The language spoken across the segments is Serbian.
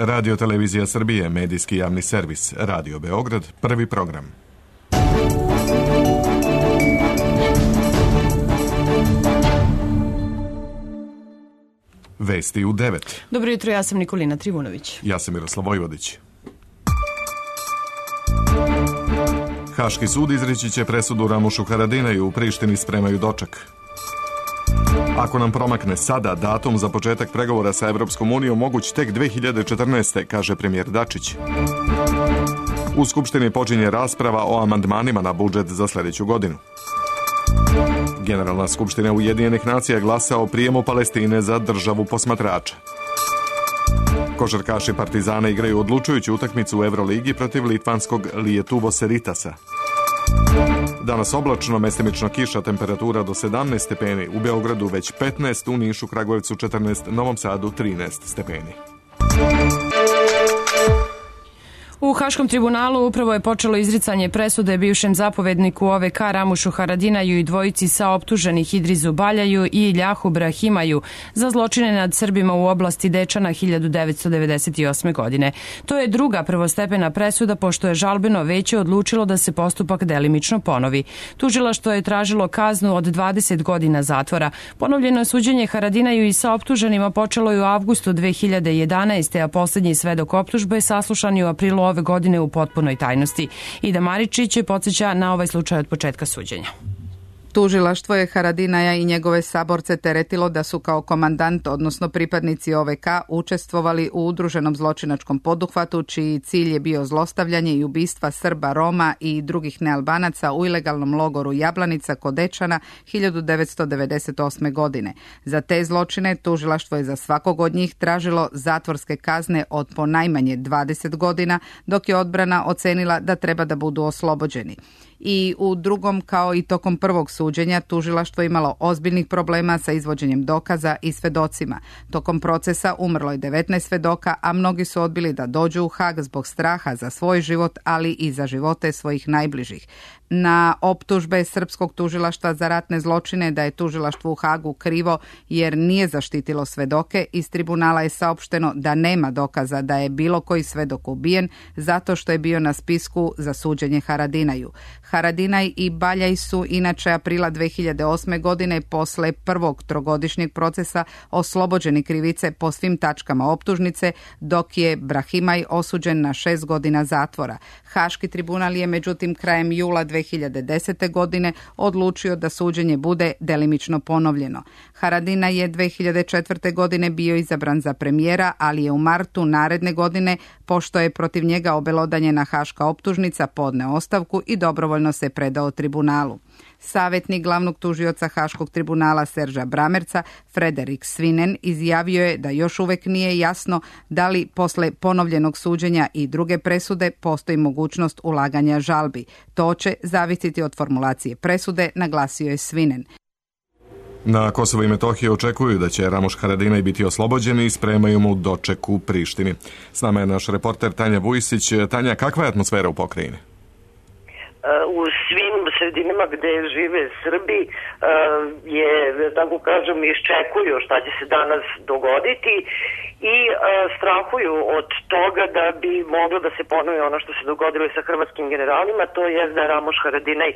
Radio Televizija Srbije, medijski javni servis, Radio Beograd, prvi program. Vesti u 9. Dobro jutro, ja sam Nikolina Trivunović. Ja sam Miroslav Vojvodić. Haški sud izreći će presudu Ramušu Haradinaju, u Prištini spremaju doček. Ako nam promakne sada, datum za početak pregovora sa Evropskom unijom moguć tek 2014. kaže premijer Dačić. U Skupštini počinje rasprava o amandmanima na budžet za sljedeću godinu. Generalna skupština Ujedinjenih nacija glasa o prijemu Palestine za državu posmatrača. Košarkaši Partizana igraju odlučujuću utakmicu u Evroligi protiv litvanskog Lietuvos Rytasa. Danas oblačno, mestimično kiša, temperatura do 17 stepeni, u Beogradu već 15, u Nišu, Kragujevcu 14, Novom Sadu 13 stepeni. U Haškom tribunalu upravo je počelo izricanje presude bivšem zapovedniku OVK Ramušu Haradinaju i dvojici saoptuženih Idrizu Baljaju i Iljahu Brahimaju za zločine nad Srbima u oblasti Dečana 1998. godine. To je druga prvostepena presuda pošto je žalbeno veće odlučilo da se postupak delimično ponovi. Tužilaštvo je tražilo kaznu od 20 godina zatvora. Ponovljeno suđenje Haradinaju i saoptuženima počelo je u avgustu 2011. a posljednji svedok optužbe saslušan je u aprilu ove godine u potpunoj tajnosti. Ida Maričić podsjeća na ovaj slučaj od početka suđenja. Tužilaštvo je Haradinaja i njegove saborce teretilo da su kao komandant, odnosno pripadnici OVK, učestvovali u udruženom zločinačkom poduhvatu čiji cilj je bio zlostavljanje i ubistva Srba, Roma i drugih nealbanaca u ilegalnom logoru Jablanica kod Dečana 1998. godine. Za te zločine tužilaštvo je za svakog od njih tražilo zatvorske kazne od po najmanje 20 godina, dok je odbrana ocenila da treba da budu oslobođeni. I u drugom, kao i tokom prvog suđenja, tužilaštvo imalo ozbiljnih problema sa izvođenjem dokaza i svedocima. Tokom procesa umrlo je 19 svedoka, a mnogi su odbili da dođu u Hag zbog straha za svoj život, ali i za živote svojih najbližih. Na optužbe srpskog tužilaštva za ratne zločine da je tužilaštvo u Hagu krivo jer nije zaštitilo svedoke, iz tribunala je saopšteno da nema dokaza da je bilo koji svedok ubijen zato što je bio na spisku za suđenje Haradinaju. Haradinaj i Baljaj su inače aprila 2008. godine posle prvog trogodišnjeg procesa oslobođeni krivice po svim tačkama optužnice, dok je Brahimaj osuđen na 6 godina zatvora. Haški tribunal je međutim krajem jula 2010. godine odlučio da suđenje bude delimično ponovljeno. Haradinaj je 2004. godine bio izabran za premijera, ali je u martu naredne godine, pošto je protiv njega obelodanjena haška optužnica, podneo ostavku i dobrovoljno se predao tribunalu. Savjetnik glavnog tužioca Haškog tribunala Serža Bramerca, Frederik Svinen, izjavio je da još uvek nije jasno da li posle ponovljenog suđenja i druge presude postoji mogućnost ulaganja žalbi. To će zavisiti od formulacije presude, naglasio je Svinen. Na Kosovo i Metohiji očekuju da će Ramuš Haradinaj biti oslobođen i spremaju mu doček u Prištini. S nama je naš reporter Tanja Vujsić. Tanja, kakva je atmosfera u pokrajini? U svim sredinama gde žive Srbi je, tako kažem, iščekuju šta će se danas dogoditi i strahuju od toga da bi moglo da se ponovi ono što se dogodilo i sa hrvatskim generalima, to je da Ramuš Haradinaj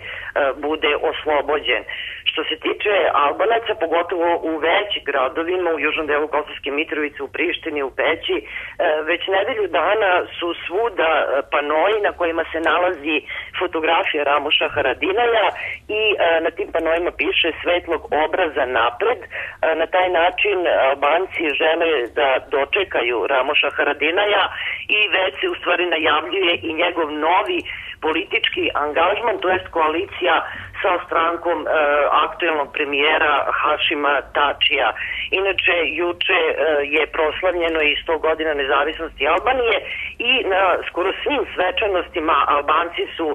bude oslobođen. Što se tiče Albanaca, pogotovo u većim gradovima, u južnom delu Kosovske Mitrovice, u Prištini, u Peći, već nedelju dana su svuda panoji na kojima se nalazi fotografija Ramuša Haradinaja i na tim panojima piše svetlog obraza napred. Na taj način Albanci žele da dočekaju Ramuša Haradinaja i već se u stvari najavljuje i njegov novi politički angažman, to jest koalicija sa strankom aktuelnog premijera Hašima Tačija. Inače, juče je proslavljeno i 100 godina nezavisnosti Albanije i na skoro svim svečanostima Albanci su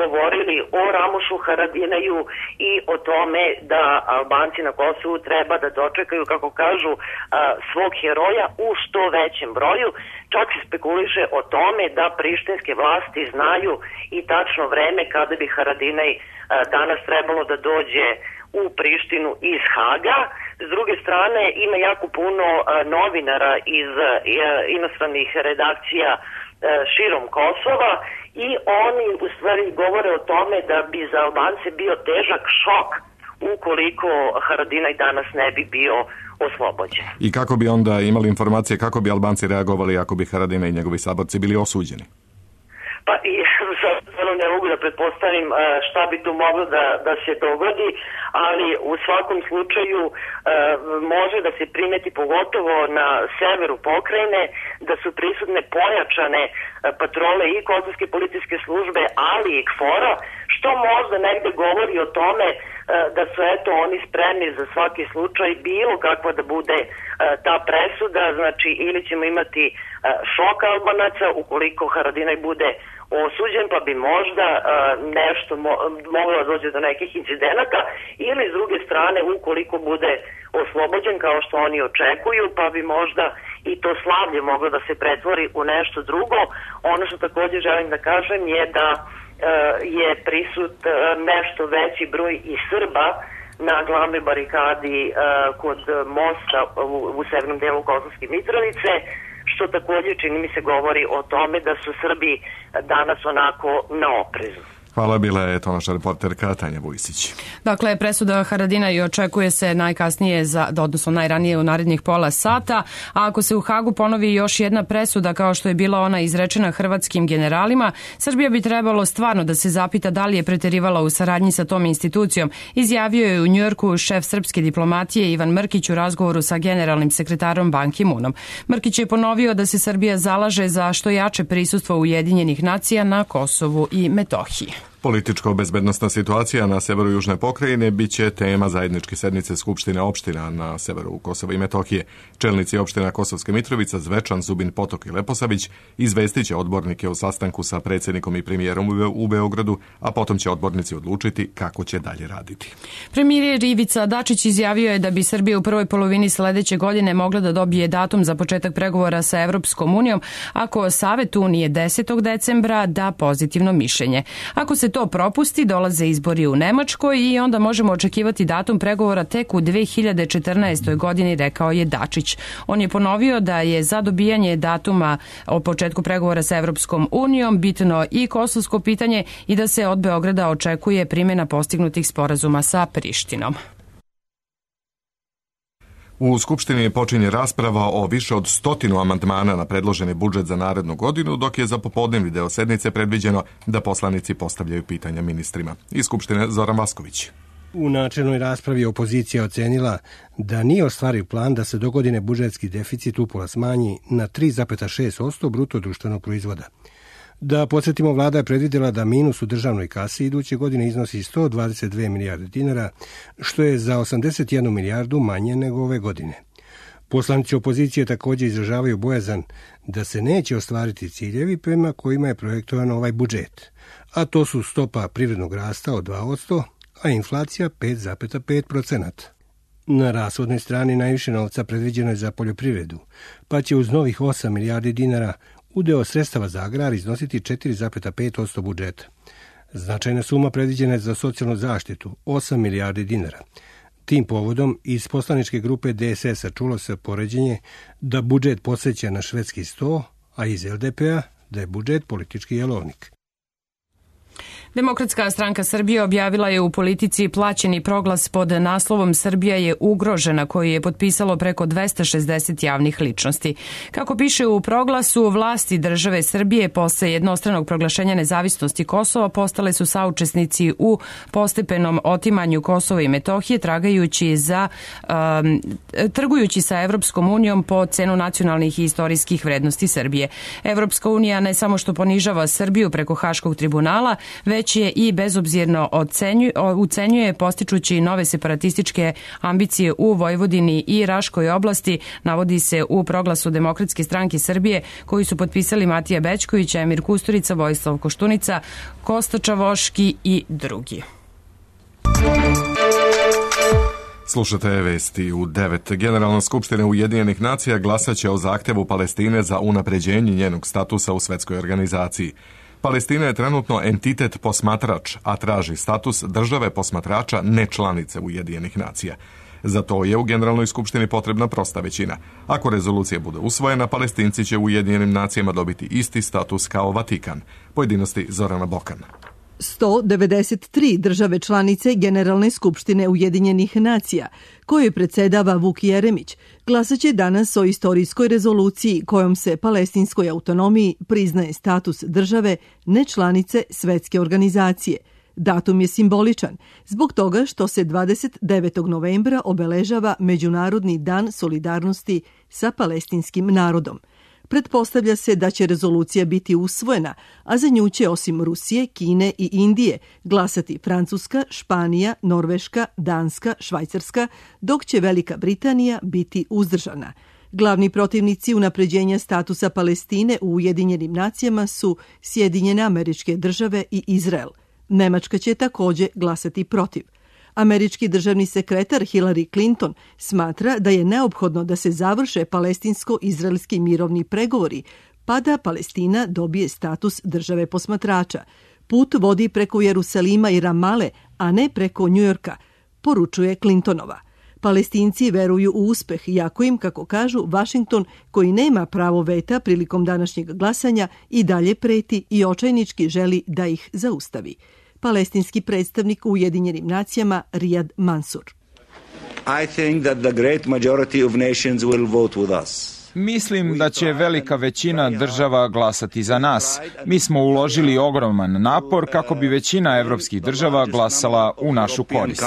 govorili o Ramušu Haradinaju i o tome da Albanci na Kosovu treba da dočekaju, kako kažu, svog heroja u što većem broju. Čak se spekuliše o tome da prištinske vlasti znaju i tačno vreme kada bi Haradinaj danas trebalo da dođe u Prištinu iz Haga. S druge strane, ima jako puno novinara iz inostranih redakcija širom Kosova i oni u stvari govore o tome da bi za Albance bio težak šok ukoliko Haradinaj danas ne bi bio oslobođen. I kako bi onda imali informacije, kako bi Albanci reagovali ako bi Haradinaj i njegovi saborci bili osuđeni? Pa i stvarno ne mogu da pretpostavim šta bi tu moglo da se dogodi, ali u svakom slučaju može da se primeti pogotovo na severu pokrajine da su prisutne pojačane patrole i kosovske policijske službe, ali i KFOR-a, što možda negde govori o tome da su eto oni spremni za svaki slučaj bilo kakva da bude ta presuda, znači ili ćemo imati šok Albanaca ukoliko Haradinaj bude osuđen, pa bi možda nešto moglo da dođe do nekih incidenata, ili s druge strane ukoliko bude oslobođen kao što oni očekuju, pa bi možda i to slavlje moglo da se pretvori u nešto drugo. Ono što također želim da kažem je da je prisut nešto veći broj i Srba na glavnoj barikadi kod mosta u severnom delu Kosovske Mitrovice, što također čini mi se govori o tome da su Srbi danas onako na oprezu. Hvala, bila je to naša reporterka Tanja Vujsić. Dakle, presuda Haradinaju očekuje se najkasnije, odnosno najranije u narednih pola sata, a ako se u Hagu ponovi još jedna presuda kao što je bila ona izrečena hrvatskim generalima, Srbija bi trebalo stvarno da se zapita da li je preterivala u saradnji sa tom institucijom, izjavio je u Njujorku šef srpske diplomatije Ivan Mrkić u razgovoru sa generalnim sekretarom Ban Ki-moonom. Mrkić je ponovio da se Srbija zalaže za što jače prisustvo Ujedinjenih nacija na Kosovu i Metohiji. Političko-bezbednostna situacija na severu Južne pokrajine biće tema zajedničke sednice Skupštine opština na severu Kosova i Metohije. Čelnici opština Kosovske Mitrovica, Zvečan, Zubin Potok i Leposavić izvestit će odbornike o sastanku sa predsjednikom i premijerom u Beogradu, a potom će odbornici odlučiti kako će dalje raditi. Premijer Ivica Dačić izjavio je da bi Srbija u prvoj polovini sledeće godine mogla da dobije datum za početak pregovora sa Evropskom unijom ako Savet Unije 10. decembra da pozitivno mišljenje. Ako se to propusti, dolaze izbori u Nemačkoj i onda možemo očekivati datum pregovora tek u 2014. godini, rekao je Dačić. On je ponovio da je za dobijanje datuma o početku pregovora sa Evropskom unijom bitno i kosovsko pitanje i da se od Beograda očekuje primjena postignutih sporazuma sa Prištinom. U Skupštini počinje rasprava o više od 100 amandmana na predloženi budžet za narednu godinu, dok je za popodnevni deo sednice predviđeno da poslanici postavljaju pitanja ministrima. Iz Skupštine Zoran Vasković. U načelnoj raspravi opozicija ocenila da nije ostvariv plan da se dogodine budžetski deficit upola smanji na 3,6% bruto društvenog proizvoda. Da podsjetimo, vlada je predvidjela da minus u državnoj kasi iduće godine iznosi 122 milijarde dinara, što je za 81 milijardu manje nego ove godine. Poslanici opozicije također izražavaju bojazan da se neće ostvariti ciljevi prema kojima je projektovan ovaj budžet, a to su stopa privrednog rasta od 2%, a inflacija 5,5%. Na rashodnoj strani najviše novca predviđeno je za poljoprivredu, pa će uz novih 8 milijardi dinara udeo sredstava za agrar iznositi 4,5% budžeta. Značajna suma predviđena je za socijalnu zaštitu, 8 milijardi dinara. Tim povodom iz poslaničke grupe DSS-a čulo se poređenje da budžet podsjeća na švedski sto, a iz LDP-a da je budžet politički jelovnik. Demokratska stranka Srbije objavila je u Politici plaćeni proglas pod naslovom Srbija je ugrožena, koji je potpisalo preko 260 javnih ličnosti. Kako piše u proglasu, vlasti države Srbije posle jednostranog proglašenja nezavisnosti Kosova postale su saučesnici u postepenom otimanju Kosova i Metohije, trgujući sa Evropskom unijom po cenu nacionalnih i istorijskih vrednosti Srbije. Evropska unija ne samo što ponižava Srbiju preko Haškog tribunala, već je i bezobzirno ucenjuje postičući nove separatističke ambicije u Vojvodini i Raškoj oblasti, navodi se u proglasu Demokratske stranke Srbije koji su potpisali Matija Bećković, Emir Kusturica, Vojislav Koštunica, Kosta Čavoški i drugi. Slušate vesti u 9. Generalna skupština Ujedinjenih nacija glasaće o zahtevu Palestine za unapređenje njenog statusa u svetskoj organizaciji. Palestina je trenutno entitet posmatrač, a traži status države posmatrača nečlanice Ujedinjenih nacija. Za to je u Generalnoj skupštini potrebna prosta većina. Ako rezolucija bude usvojena, Palestinci će u Ujedinjenim nacijama dobiti isti status kao Vatikan. Pojedinosti Zorana Bokan. 193 države članice Generalne skupštine Ujedinjenih nacija, kojoj predsjedava Vuk Jeremić, glasaće danas o istorijskoj rezoluciji kojom se palestinskoj autonomiji priznaje status države nečlanice svetske organizacije. Datum je simboličan zbog toga što se 29. novembra obeležava Međunarodni dan solidarnosti sa palestinskim narodom. Pretpostavlja se da će rezolucija biti usvojena, a za nju će osim Rusije, Kine i Indije glasati Francuska, Španija, Norveška, Danska, Švajcarska, dok će Velika Britanija biti uzdržana. Glavni protivnici unapređenja statusa Palestine u Ujedinjenim nacijama su Sjedinjene Američke Države i Izrael. Nemačka će također glasati protiv. Američki državni sekretar Hillary Clinton smatra da je neophodno da se završe palestinsko-izraelski mirovni pregovori, pa da Palestina dobije status države posmatrača. Put vodi preko Jerusalima i Ramale, a ne preko Njujorka, poručuje Clintonova. Palestinci veruju u uspeh, iako im, kako kažu, Washington, koji nema pravo veta prilikom današnjeg glasanja, i dalje preti i očajnički želi da ih zaustavi. Palestinski predstavnik u Ujedinjenim nacijama Riyad Mansour. I think that the great majority of nations will vote with us. Mislim da će velika većina država glasati za nas. Mi smo uložili ogroman napor kako bi većina evropskih država glasala u našu korist.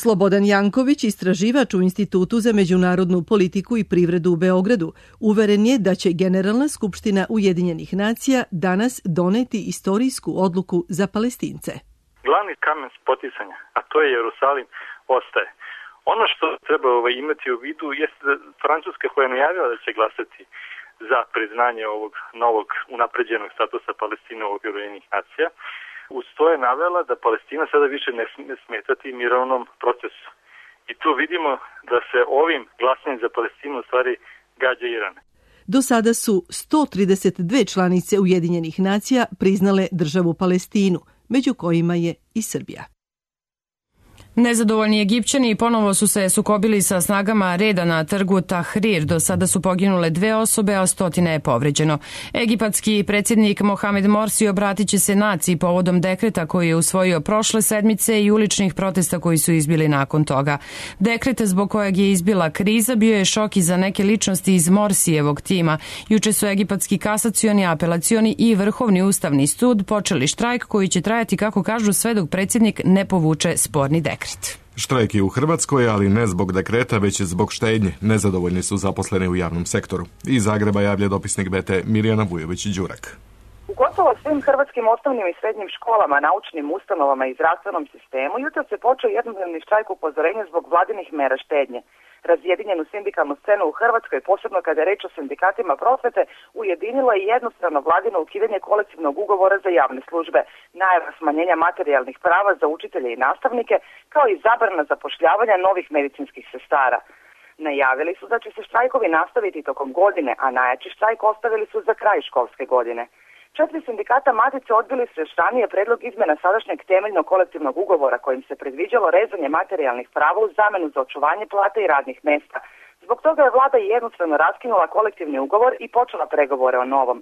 Slobodan Janković, istraživač u Institutu za međunarodnu politiku i privredu u Beogradu, uveren je da će Generalna skupština Ujedinjenih nacija danas doneti istorijsku odluku za Palestince. Glavni kamen spoticanja, a to je Jerusalim, ostaje. Ono što treba imati u vidu jeste da Francuska, koja je najavila da će glasati za priznanje ovog novog unapređenog statusa Palestine u okviru Ujedinjenih nacija, uz to je navela da Palestina sada više ne smije smetati mirovnom procesu. I tu vidimo da se ovim glasanjem za Palestinu u stvari gađa Iran. Do sada su 132 članice Ujedinjenih nacija priznale državu Palestinu, među kojima je i Srbija. Nezadovoljni Egipćani ponovo su se sukobili sa snagama reda na trgu Tahrir. Do sada su poginule 2 osobe, a 100 je povređeno. Egipatski predsjednik Mohamed Morsi obratit će se naciji povodom dekreta koji je usvojio prošle sedmice i uličnih protesta koji su izbili nakon toga. Dekret zbog kojeg je izbila kriza bio je šok i za neke ličnosti iz Morsijevog tima. Juče su egipatski kasacioni, apelacioni i Vrhovni ustavni sud počeli štrajk koji će trajati, kako kažu, sve dok predsjednik ne povuče sporni dekret. Štrajk je u Hrvatskoj, ali ne zbog dekreta, već zbog štednje. Nezadovoljni su zaposleni u javnom sektoru. Iz Zagreba javlja dopisnik BT Mirjana Vujović-Đurak. U gotovo svim hrvatskim osnovnim i srednjim školama, naučnim ustanovama i zdravstvenom sistemu jutros se počeo jednodnevni štrajk upozorenja zbog vladinih mera štednje. Razjedinjenu sindikalnu scenu u Hrvatskoj, posebno kada je reč o sindikatima prosvete, ujedinilo je jednostrano vladino ukidanje kolektivnog ugovora za javne službe, najava smanjenja materijalnih prava za učitelje i nastavnike, kao i zabrana zapošljavanja novih medicinskih sestara. Najavili su da će se štrajkovi nastaviti tokom godine, a najjači štrajk ostavili su za kraj školske godine. 4 sindikata Matice odbili su još ranije predlog izmjena sadašnjeg temeljnog kolektivnog ugovora kojim se predviđalo rezanje materijalnih prava u zamjenu za očuvanje plate i radnih mjesta. Zbog toga je vlada jednostrano raskinula kolektivni ugovor i počela pregovore o novom.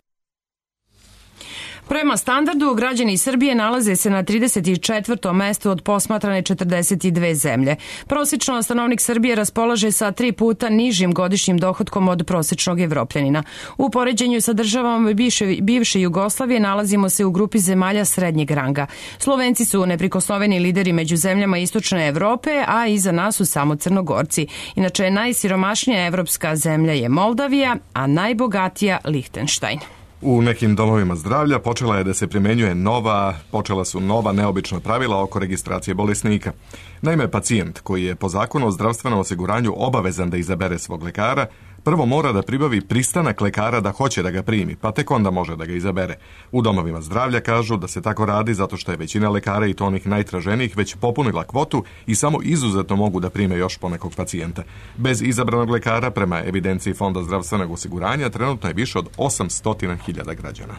Prema standardu, građani Srbije nalaze se na 34. mestu od posmatrane 42 zemlje. Prosječno stanovnik Srbije raspolaže sa 3 puta nižim godišnjim dohotkom od prosječnog Evropljanina. U poređenju sa državama bivše Jugoslavije nalazimo se u grupi zemalja srednjeg ranga. Slovenci su neprikosnoveni lideri među zemljama istočne Evrope, a iza nas su samo Crnogorci. Inače, najsiromašnija evropska zemlja je Moldavija, a najbogatija Lihtenštajn. U nekim domovima zdravlja počela su nova neobična pravila oko registracije bolesnika. Naime, pacijent koji je po zakonu o zdravstvenom osiguranju obavezan da izabere svog lekara, prvo mora da pribavi pristanak lekara da hoće da ga primi, pa tek onda može da ga izabere. U domovima zdravlja kažu da se tako radi zato što je većina lekara, i to onih najtraženijih, već popunila kvotu i samo izuzetno mogu da prime još ponekog pacijenta. Bez izabranog lekara, prema evidenciji Fonda zdravstvenog osiguranja, trenutno je više od 800.000 građana.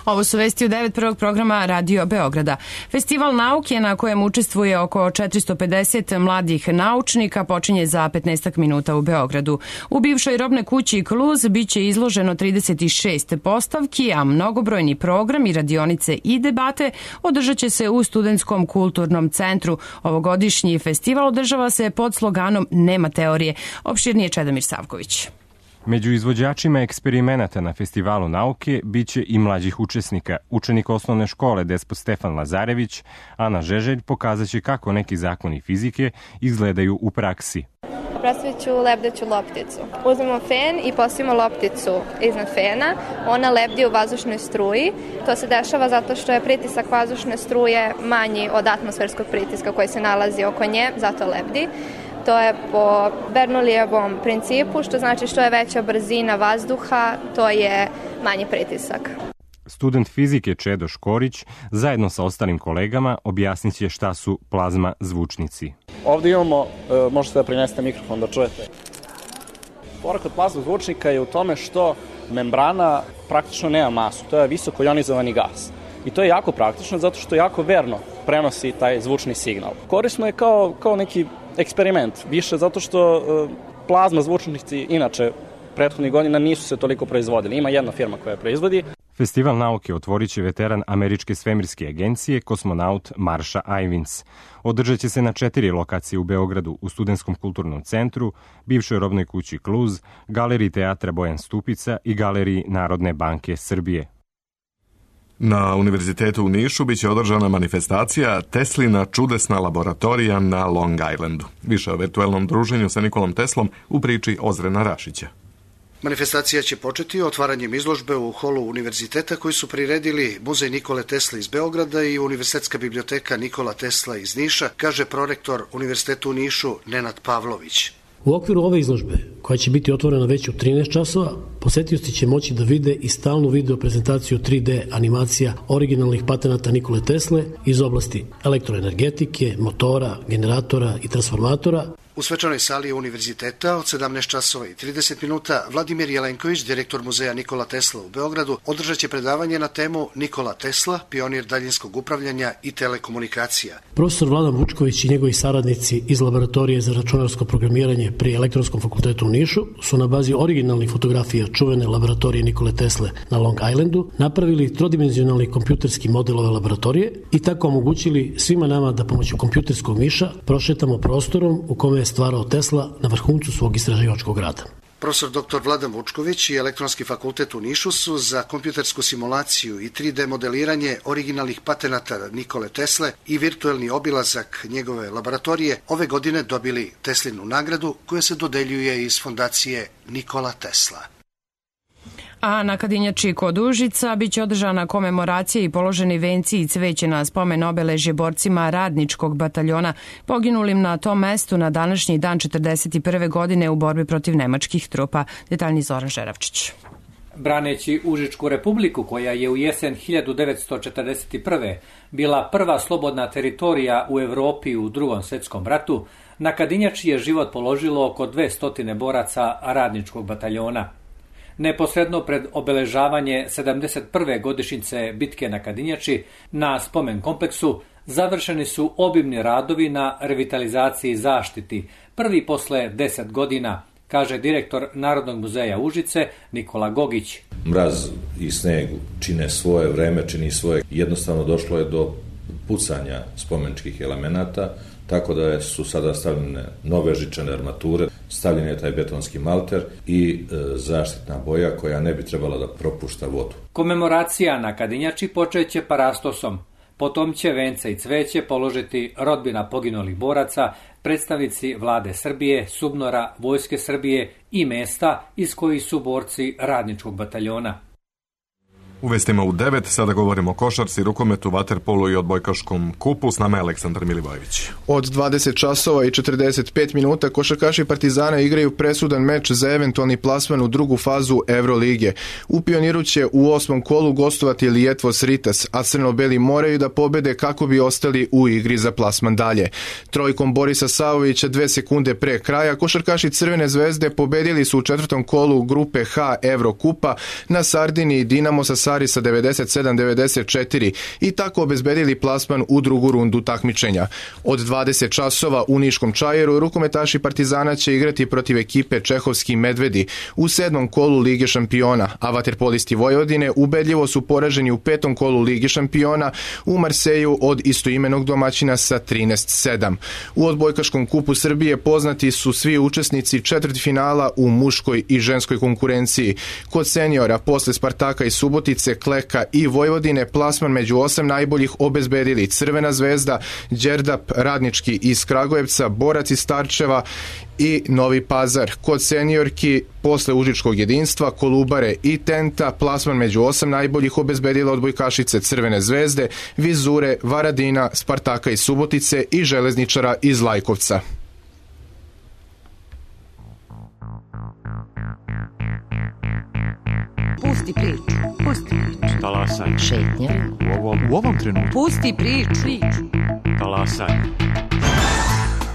Ovo su vesti u 9 prvog programa Radio Beograda. Festival nauke na kojem učestvuje oko 450 mladih naučnika počinje za 15 minuta u Beogradu. U bivšoj robnoj kući Kluz biće izloženo 36 postavki, a mnogobrojni program i radionice i debate održat će se u Studentskom kulturnom centru. Ovogodišnji festival održava se pod sloganom Nema teorije. Opširnije Čedomir Savković. Među izvođačima eksperimenata na Festivalu nauke biće i mlađih učesnika. Učenik osnovne škole Despot Stefan Lazarević, Ana Žeželj, pokazaće kako neki zakoni fizike izgledaju u praksi. Predstavit ću lebdeću lopticu. Uzmemo fen i postavimo lopticu iznad fena. Ona lebdi u vazdušnoj struji. To se dešava zato što je pritisak vazdušne struje manji od atmosferskog pritiska koji se nalazi oko nje, zato lebdi. To je po Bernoullijevom principu, što znači što je veća brzina vazduha, to je manji pritisak. Student fizike Čedo Škorić zajedno sa ostalim kolegama objasnit će šta su plazma zvučnici. Ovdje imamo, možete da prinesete mikrofon da čujete. Fora kod plazma zvučnika je u tome što membrana praktično nema masu, to je visoko ionizovani gas. I to je jako praktično zato što jako verno prenosi taj zvučni signal. Korisno je kao neki eksperiment, više zato što plazma zvučnici inače prethodnih godina nisu se toliko proizvodili. Ima jedna firma koja proizvodi. Festival nauke otvorit će veteran Američke svemirske agencije, kosmonaut Marsha Ivins. Održat će se na 4 lokacije u Beogradu, u Studentskom kulturnom centru, bivšoj robnoj kući Kluz, galeriji teatra Bojan Stupica i galeriji Narodne banke Srbije. Na Univerzitetu u Nišu biće održana manifestacija Teslina čudesna laboratorija na Long Islandu. Više o virtuelnom druženju sa Nikolom Teslom u priči Ozrena Rašića. Manifestacija će početi otvaranjem izložbe u holu univerziteta koji su priredili Muzej Nikole Tesle iz Beograda i Univerzitetska biblioteka Nikola Tesla iz Niša, kaže prorektor Univerzitetu u Nišu Nenad Pavlović. U okviru ove izložbe, koja će biti otvorena već u 13 časova, posetioci će moći da vide i stalnu video prezentaciju 3D animacija originalnih patenata Nikole Tesle iz oblasti elektroenergetike, motora, generatora i transformatora. U svečanoj sali univerziteta od 17 časova i 30 minuta Vladimir Jelenković, direktor Muzeja Nikola Tesla u Beogradu, održat će predavanje na temu Nikola Tesla, pionir daljinskog upravljanja i telekomunikacija. Profesor Vladan Vučković i njegovi saradnici iz Laboratorije za računarsko programiranje pri Elektronskom fakultetu u Nišu su na bazi originalnih fotografija čuvene laboratorije Nikole Tesle na Long Islandu napravili trodimenzionalni kompjuterski model ove laboratorije i tako omogućili svima nama da pomoću kompjuterskog miša prošetamo prostorom u kome je stvarao Tesla na vrhuncu svog istraživačkog rada. Profesor dr. Vladan Vučković i Elektronski fakultet u Nišu su za kompjutersku simulaciju i 3D modeliranje originalnih patenata Nikole Tesle i virtuelni obilazak njegove laboratorije ove godine dobili Teslinu nagradu koja se dodeljuje iz fondacije Nikola Tesla. A na Kadinjači kod Užica biće održana komemoracija i položeni venci i cveće na spomen obeležje borcima radničkog bataljona poginulim na tom mestu na današnji dan 1941. godine u borbi protiv nemačkih trupa. Detaljni Zoran Žeravčić. Braneći Užičku republiku, koja je u jesen 1941. bila prva slobodna teritorija u Evropi u Drugom svjetskom ratu, na Kadinjači je život položilo oko 200 boraca radničkog bataljona. Neposredno pred obeležavanje 71. godišnjice bitke na Kadinjači, na spomen kompleksu završeni su obimni radovi na revitalizaciji i zaštiti, prvi posle 10 godina, kaže direktor Narodnog muzeja Užice Nikola Gogić. Mraz i sneg čine svoje, vreme čini svoje. Jednostavno došlo je do pucanja spomeničkih elemenata, tako da su sada stavljene nove žičane armature, stavljen je taj betonski malter i zaštitna boja koja ne bi trebala da propušta vodu. Komemoracija na Kadinjači počeće parastosom. Potom će vence i cveće položiti rodbina poginulih boraca, predstavnici vlade Srbije, SUBNOR-a, Vojske Srbije i mesta iz kojih su borci radničkog bataljona. U vestima u 9, sada govorimo o košarci, rukometu, vaterpolu i odbojkaškom kupu. S nama je Aleksandar Milivojević. Od 20 časova i 45 minuta košarkaši Partizana igraju presudan meč za eventualni plasman u drugu fazu Evrolige. U Pioniru će u 8. kolu gostovati Lijetvos Ritas, a crno-beli moraju da pobede kako bi ostali u igri za plasman dalje. Trojkom Borisa Savovića 2 sekunde pre kraja košarkaši Crvene zvezde pobedili su u 4. kolu grupe H Evrokupa na Sardiniji Dinamo sa Stari sa 97-94 i tako obezbedili plasman u drugu rundu takmičenja. Od 20 časova u Niškom Čajeru rukometaši Partizana će igrati protiv ekipe Čehovski Medvedi u 7. kolu Lige šampiona, a vaterpolisti Vojvodine ubedljivo su poraženi u 5. kolu Lige šampiona u Marseju od istoimenog domaćina sa 13-7. U odbojkaškom kupu Srbije poznati su svi učesnici četvrtfinala u muškoj i ženskoj konkurenciji. Kod seniora, posle Spartaka i Subotice, Kleka i Vojvodine, plasman među 8 najboljih obezbedili Crvena zvezda, Đerdap, Radnički iz Kragujevca, Borac iz Starčeva i Novi Pazar. Kod seniorki, posle Užičkog jedinstva, Kolubare i Tenta, plasman među 8 najboljih obezbedila odbojkašice Crvene zvezde, Vizure, Varadina, Spartaka iz Subotice i Železničara iz Lajkovca. Pusti priču. Pusti priču. Talasaj. Šetnja. U ovom trenutku. Pusti priču. Talasaj.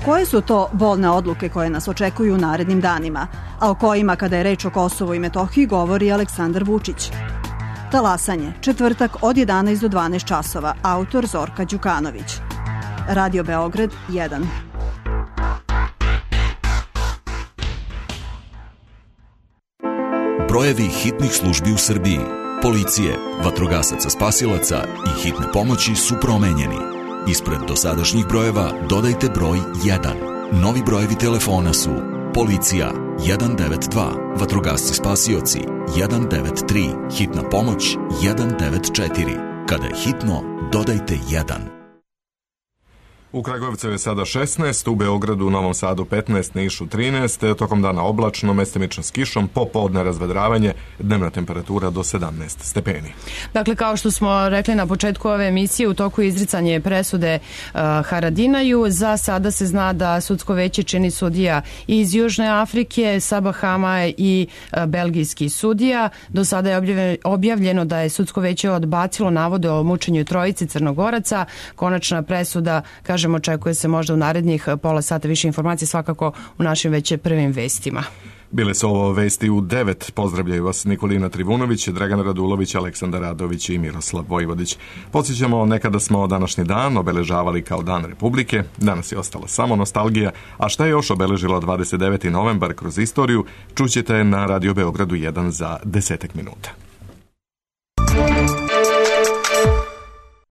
Koje su to bolne odluke koje nas očekuju u narednim danima, a o kojima, kada je reč o Kosovu i Metohiji, govori Aleksandar Vučić? Talasanje, četvrtak od 11 do 12 časova, autor Zorka Đukanović. Radio Beograd 1. Brojevi hitnih službi u Srbiji, policije, vatrogasaca spasilaca i hitne pomoći su promenjeni. Ispred dosadašnjih brojeva dodajte broj 1. Novi brojevi telefona su policija 192, vatrogasci spasioci 193, hitna pomoć 194. Kada je hitno, dodajte 1. U Kragujevcu je sada 16, u Beogradu, Novom Sadu 15, Nišu 13, tokom dana oblačno, mestimično s kišom, popodne razvedravanje, dnevna temperatura do 17 stepeni. Dakle, kao što smo rekli na početku ove emisije, u toku izricanje presude Haradinaju, za sada se zna da sudsko veće čini sudija iz Južne Afrike, sa Bahama i belgijski sudija. Do sada je objavljeno da je sudsko veće odbacilo navode o mučenju trojice Crnogoraca. Konačna presuda, kažem, očekuje se možda u narednih pola sata. Više informacije svakako u našim već prvim vestima. Bile su ovo vesti u 9. Pozdravljaju vas Nikolina Trivunović, Dragan Radulović, Aleksandar Radović i Miroslav Vojvodić. Podsjećamo, nekada smo današnji dan obeležavali kao Dan Republike, danas je ostala samo nostalgija, a šta je još obeležilo 29. novembar kroz istoriju, čućete na Radio Beogradu 1 za 10 minuta.